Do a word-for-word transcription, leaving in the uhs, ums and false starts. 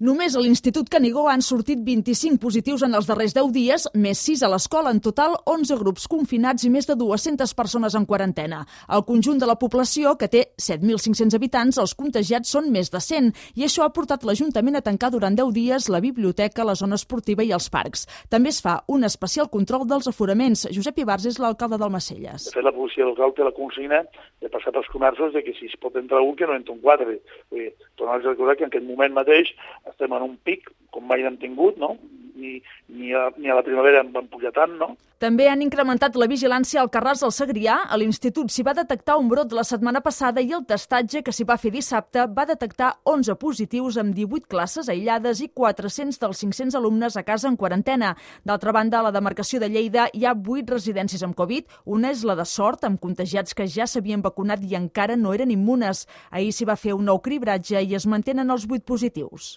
Només a l'Institut Canigó han sortit vint-i-cinc positius en els darrers deu dies, més sis a l'escola. En total, onze grups confinats i més de dues-centes persones en quarantena. Al conjunt de la població, que té set mil cinc-cents habitants, els contagiats són més de cent, i això ha portat l'Ajuntament a tancar durant deu dies la biblioteca, la zona esportiva i els parcs. També es fa un especial control dels aforaments. Josep Ibars és l'alcalde d'Almacelles. De fet, la policia local té la consigna de passar pels comerços de que si es pot entrar un, que no entra un quatre. Tornar a recordar que en aquest moment mateix estem en un pic, com mai n'hem tingut, no? Ni, ni, a, ni a la primavera en van pujar tant, no? També han incrementat la vigilància al Carràs del Segrià. A l'institut s'hi va detectar un brot la setmana passada i el testatge que s'hi va fer dissabte va detectar onze positius amb divuit classes aïllades i quatre-cents dels cinc-cents alumnes a casa en quarantena. D'altra banda, a la demarcació de Lleida hi ha vuit residències amb Covid. Una és la de Sort, amb contagiats que ja s'havien vacunat i encara no eren immunes. Ahir s'hi va fer un nou cribratge i es mantenen els vuit positius.